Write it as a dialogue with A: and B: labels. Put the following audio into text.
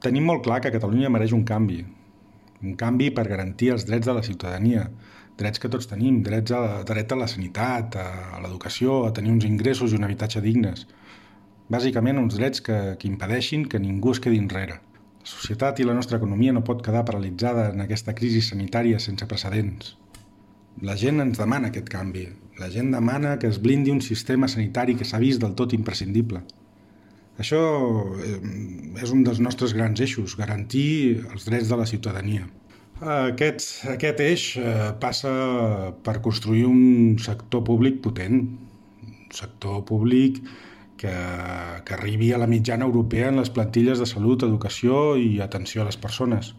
A: Tenim molt clar que Catalunya mereix un canvi per garantir els drets de la ciutadania, drets que tots tenim, dret a la sanitat, a l'educació, a tenir uns ingressos i un habitatge dignes. Bàsicament uns drets que impedeixin que ningú es quedi enrere. La societat i la nostra economia no pot quedar paralitzada en aquesta crisi sanitària sense precedents. La gent ens demana aquest canvi. La gent demana que es blindi un sistema sanitari que s'ha vist del tot imprescindible. Això és un dels nostres grans eixos, garantir els drets de la ciutadania. Aquest eix passa per construir un sector públic potent, un sector públic que arribi a la mitjana europea en les plantilles de salut, educació i atenció a les persones.